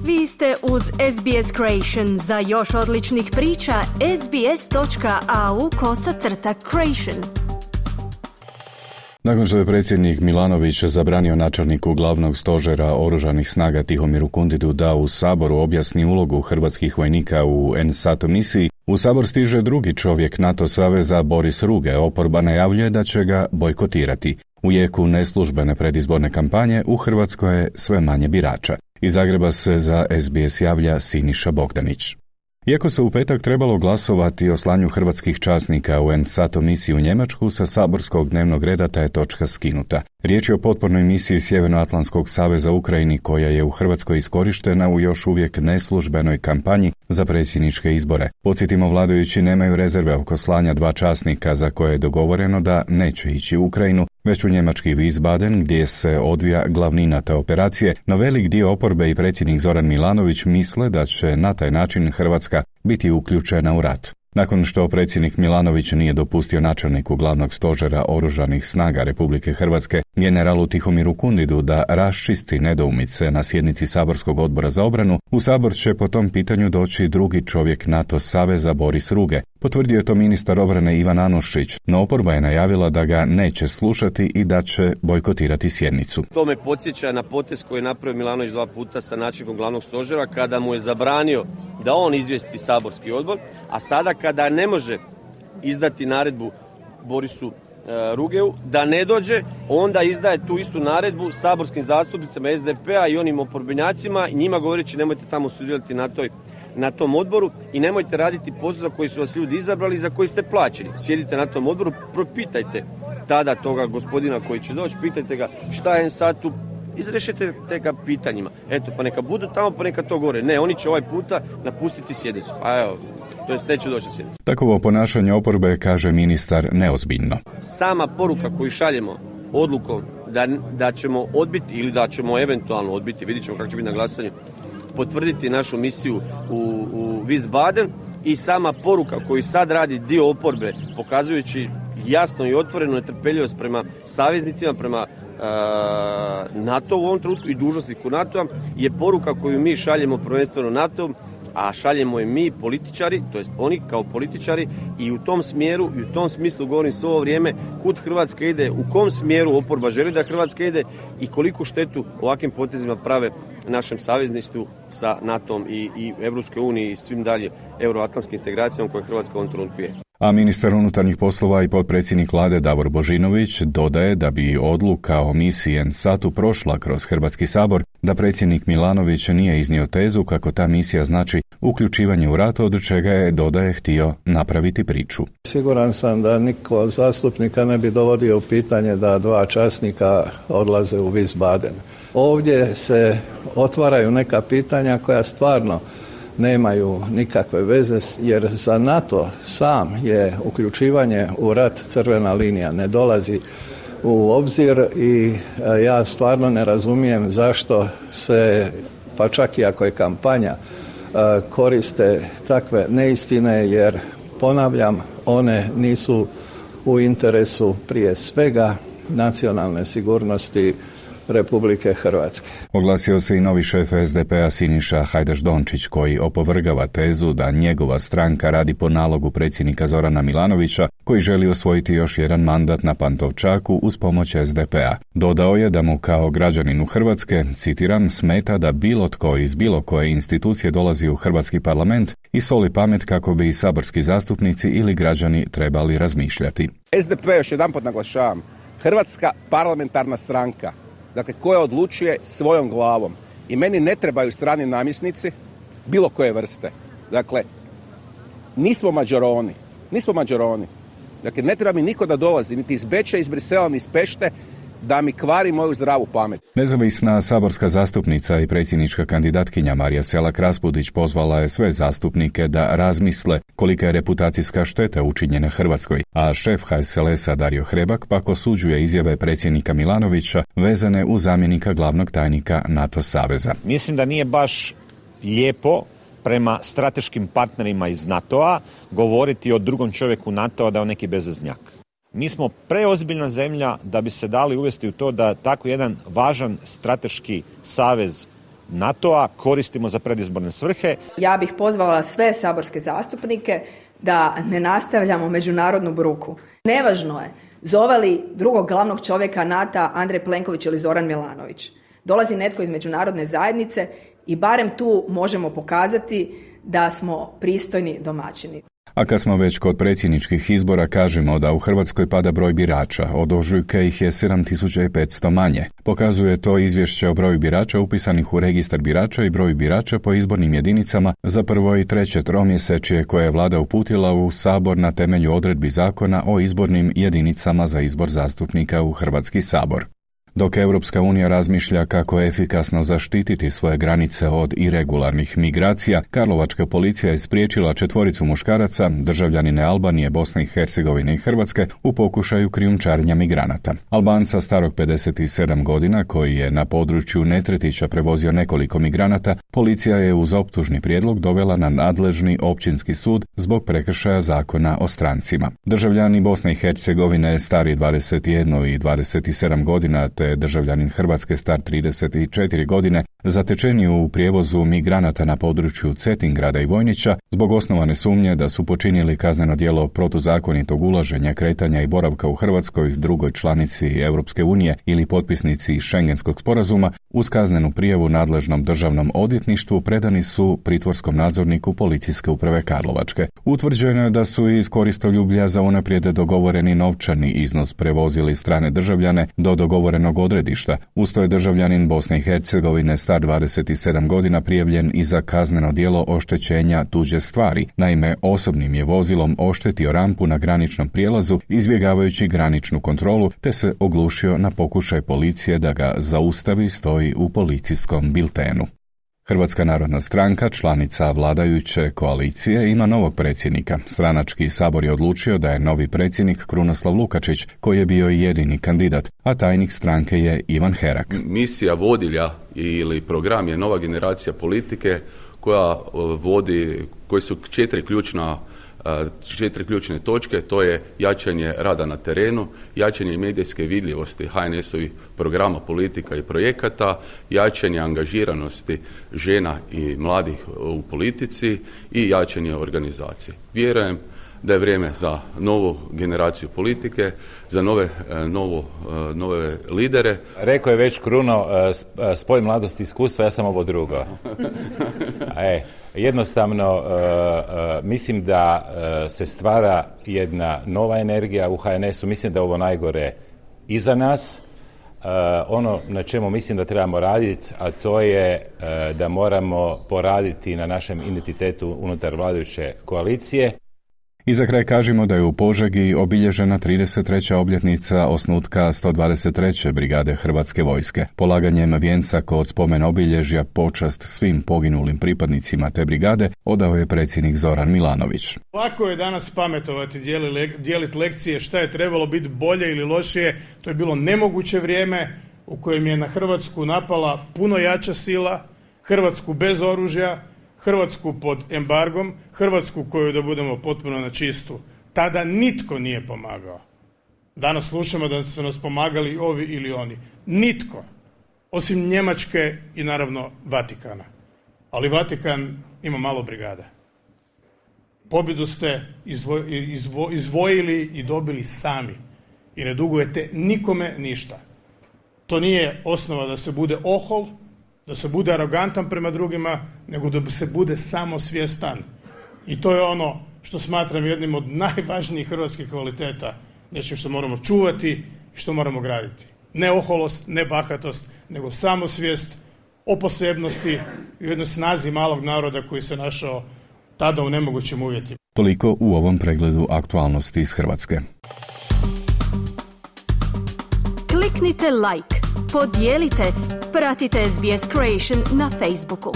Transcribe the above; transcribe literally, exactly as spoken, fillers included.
Vi ste uz S B S Creation. Za još odličnih priča, sbs.au kosacrta creation. Nakon što je predsjednik Milanović zabranio načelniku glavnog stožera oružanih snaga Tihomiru Kundidu da u Saboru objasni ulogu hrvatskih vojnika u en SATO misiji, u Sabor stiže drugi čovjek NATO saveza Boris Ruge. Oporba najavljuje da će ga bojkotirati. U jeku neslužbene predizborne kampanje u Hrvatskoj je sve manje birača. Iz Zagreba se za S B S javlja Siniša Bogdanić. Iako se u petak trebalo glasovati o slanju hrvatskih časnika u en SATO misiju u Njemačku, sa saborskog dnevnog reda ta je točka skinuta. Riječ je o potpornoj misiji Sjevernoatlantskog saveza Ukrajini koja je u Hrvatskoj iskorištena u još uvijek neslužbenoj kampanji za predsjedničke izbore. Podsjetimo, vladajući nemaju rezerve oko slanja dva časnika za koje je dogovoreno da neće ići u Ukrajinu, već u njemački Wiesbaden gdje se odvija glavnina te operacije, no velik dio oporbe i predsjednik Zoran Milanović misle da će na taj način Hrvatska biti uključena u rat. Nakon što predsjednik Milanović nije dopustio načelniku glavnog stožera oružanih snaga Republike Hrvatske, generalu Tihomiru Kundidu, da raščisti nedoumice na sjednici Saborskog odbora za obranu, u Sabor će po tom pitanju doći drugi čovjek NATO saveza Boris Ruge. Potvrdio je to ministar obrane Ivan Anušić, no oporba je najavila da ga neće slušati i da će bojkotirati sjednicu. To me podsjeća na potez koji je napravio Milanović dva puta sa načelnikom glavnog stožera kada mu je zabranio da on izvijesti saborski odbor, a sada kada ne može izdati naredbu Borisu e, Rugeu da ne dođe, onda izdaje tu istu naredbu saborskim zastupnicama es de pe a i onim oporbenjacima i njima govoreći nemojte tamo sudjelovati na toj na tom odboru i nemojte raditi posao za koji su vas ljudi izabrali i za koji ste plaćeni. Sjedite na tom odboru, propitajte tada toga gospodina koji će doći, pitajte ga šta je sad tu, izrešite te ga pitanjima. Eto, pa neka budu tamo, pa neka to gore. Ne, oni će ovaj puta napustiti sjednicu. A evo, to jest neće doći na sjednicu. Takovo ponašanje oporbe, kaže ministar, neozbiljno. Sama poruka koju šaljemo odlukom da, da ćemo odbiti ili da ćemo eventualno odbiti, vidit ćemo kako će biti na glasanju, potvrditi našu misiju u, u Wiesbaden i sama poruka koju sad radi dio oporbe, pokazujući jasno i otvorenu netrpeljivost prema saveznicima, prema uh, NATO u ovom trenutku i dužnosniku NATO-a, je poruka koju mi šaljemo prvenstveno NATO-om, a šaljemo je mi političari, to jest oni kao političari, i u tom smjeru i u tom smislu govorim sve ovo vrijeme kud Hrvatska ide, u kom smjeru oporba želi da Hrvatska ide i koliku štetu ovakvim potezima prave našem savezništvu sa NATO-om i, i Evropskoj uniji i svim dalje euroatlantskim integracijama koje Hrvatska u ovom trenutku je. A ministar unutarnjih poslova i potpredsjednik vlade Davor Božinović dodaje da bi odluka o misiji en SATU prošla kroz Hrvatski sabor, da predsjednik Milanović nije iznio tezu kako ta misija znači uključivanje u rat, od čega je, dodaje, htio napraviti priču. Siguran sam da niko od zastupnika ne bi dovodio u pitanje da dva časnika odlaze u Wiesbaden. Ovdje se otvaraju neka pitanja koja stvarno nemaju nikakve veze, jer za NATO sam je uključivanje u rat crvena linija, ne dolazi u obzir i ja stvarno ne razumijem zašto se, pa čak i ako je kampanja, koriste takve neistine, jer ponavljam, one nisu u interesu prije svega nacionalne sigurnosti Republike Hrvatske. Oglasio se i novi šef es de pe a Siniša Hajdaš-Dončić, koji opovrgava tezu da njegova stranka radi po nalogu predsjednika Zorana Milanovića, koji želi osvojiti još jedan mandat na Pantovčaku uz pomoć es de pe a. Dodao je da mu kao građaninu Hrvatske, citiram, smeta da bilo tko iz bilo koje institucije dolazi u Hrvatski parlament i soli pamet kako bi i saborski zastupnici ili građani trebali razmišljati. es de pe, još jedanput naglašavam, Hrvatska parlamentarna stranka, dakle koja odlučuje svojom glavom. I meni ne trebaju strani namjesnici bilo koje vrste. Dakle, nismo Mađaroni, nismo Mađaroni. Dakle, ne treba mi niko da dolazi, niti iz Beča, iz Brisela, ni iz Pešte, da mi kvari moju zdravu pamet. Nezavisna saborska zastupnica i predsjednička kandidatkinja Marija Selak-Raspudić pozvala je sve zastupnike da razmisle kolika je reputacijska šteta učinjena Hrvatskoj, a šef ha es el es-a Dario Hrebak pak osuđuje izjave predsjednika Milanovića vezane uz zamjenika glavnog tajnika NATO saveza. Mislim da nije baš lijepo prema strateškim partnerima iz NATO-a govoriti o drugom čovjeku NATO-a da je on neki bezveznjak. Mi smo preozbiljna zemlja da bi se dali uvesti u to da tako jedan važan strateški savez NATO-a koristimo za predizborne svrhe. Ja bih pozvala sve saborske zastupnike da ne nastavljamo međunarodnu bruku. Nevažno je zove li drugog glavnog čovjeka NATO-a Andrej Plenković ili Zoran Milanović. Dolazi netko iz međunarodne zajednice i barem tu možemo pokazati da smo pristojni domaćini. A kad smo već kod predsjedničkih izbora, kažemo da u Hrvatskoj pada broj birača, od ožujka ih je sedam tisuća petsto manje. Pokazuje to izvješće o broju birača upisanih u registar birača i broju birača po izbornim jedinicama za prvo i treće tromjesečje koje je vlada uputila u Sabor na temelju odredbi zakona o izbornim jedinicama za izbor zastupnika u Hrvatski sabor. Dok Europska unija razmišlja kako efikasno zaštititi svoje granice od iregularnih migracija, karlovačka policija je spriječila četvoricu muškaraca, državljanine Albanije, Bosne i Hercegovine i Hrvatske, u pokušaju krijumčarenja migranata. Albanca starog pedeset sedam godina, koji je na području Netretića prevozio nekoliko migranata, policija je uz optužni prijedlog dovela na nadležni općinski sud zbog prekršaja zakona o strancima. Državljani Bosne i Hercegovine stari dvadeset jedan i dvadeset sedam godina te državljanin Hrvatske star trideset četiri godine zatečeni u prijevozu migranata na području Cetingrada i Vojnića zbog osnovane sumnje da su počinili kazneno djelo protuzakonitog ulaženja, kretanja i boravka u Hrvatskoj, drugoj članici Europske unije ili potpisnici Schengenskog sporazuma, uz kaznenu prijavu nadležnom državnom odvjetništvu predani su pritvorskom nadzorniku Policijske uprave Karlovačke. Utvrđeno je da su iz koristoljublja za unaprijed dogovoreni novčani iznos prevozili strane državljane do dogovorenog odredišta. Usto je državljanin Bosne i Hercegovine star dvadeset sedam godina prijavljen i za kazneno djelo oštećenja tuđe stvari. Naime, osobnim je vozilom oštetio rampu na graničnom prijelazu izbjegavajući graničnu kontrolu te se oglušio na pokušaj policije da ga zaustavi, stoji u policijskom biltenu. Hrvatska narodna stranka, članica vladajuće koalicije, ima novog predsjednika. Stranački sabor je odlučio da je novi predsjednik Krunoslav Lukačić, koji je bio jedini kandidat, a tajnik stranke je Ivan Herak. Misija vodilja ili program je nova generacija politike koja vodi, koji su četiri ključna četiri ključne točke, to je jačanje rada na terenu, jačanje medijske vidljivosti H N S-ovih programa, politika i projekata, jačanje angažiranosti žena i mladih u politici i jačanje organizacije. Vjerujem da je vrijeme za novu generaciju politike, za nove, novo, nove lidere. Rekao je već Kruno, spoj mladosti i iskustva, ja sam ovo drugo. E, jednostavno, uh, uh, mislim da uh, se stvara jedna nova energija u H N S-u, mislim da je ovo najgore iza nas. Uh, ono na čemu mislim da trebamo raditi, a to je uh, da moramo poraditi na našem identitetu unutar vladajuće koalicije. I za kraj kažemo da je u Požegi obilježena trideset treća obljetnica osnutka sto dvadeset treće brigade Hrvatske vojske. Polaganjem vijenca kod spomen obilježja počast svim poginulim pripadnicima te brigade odao je predsjednik Zoran Milanović. Lako je danas pametovati, dijeliti lekcije šta je trebalo biti bolje ili lošije. To je bilo nemoguće vrijeme u kojem je na Hrvatsku napala puno jača sila, Hrvatsku bez oružja, Hrvatsku pod embargom, Hrvatsku koju, da budemo potpuno na čistu, tada nitko nije pomagao. Danas slušamo da su nas pomagali ovi ili oni. Nitko. Osim Njemačke i naravno Vatikana. Ali Vatikan ima malo brigada. Pobjedu ste izvo, izvo, izvojili i dobili sami. I ne dugujete nikome ništa. To nije osnova da se bude ohol, da se bude arogantan prema drugima, nego da se bude samosvjestan. I to je ono što smatram jednim od najvažnijih hrvatskih kvaliteta, nečim što moramo čuvati i što moramo graditi. Ne oholost, ne bahatost, nego samosvijest o posebnosti i jednoj snazi malog naroda koji se našao tada u nemogućim uvjetima. Toliko u ovom pregledu aktualnosti iz Hrvatske. Kliknite like, podijelite, pratite S B S Creation na Facebooku.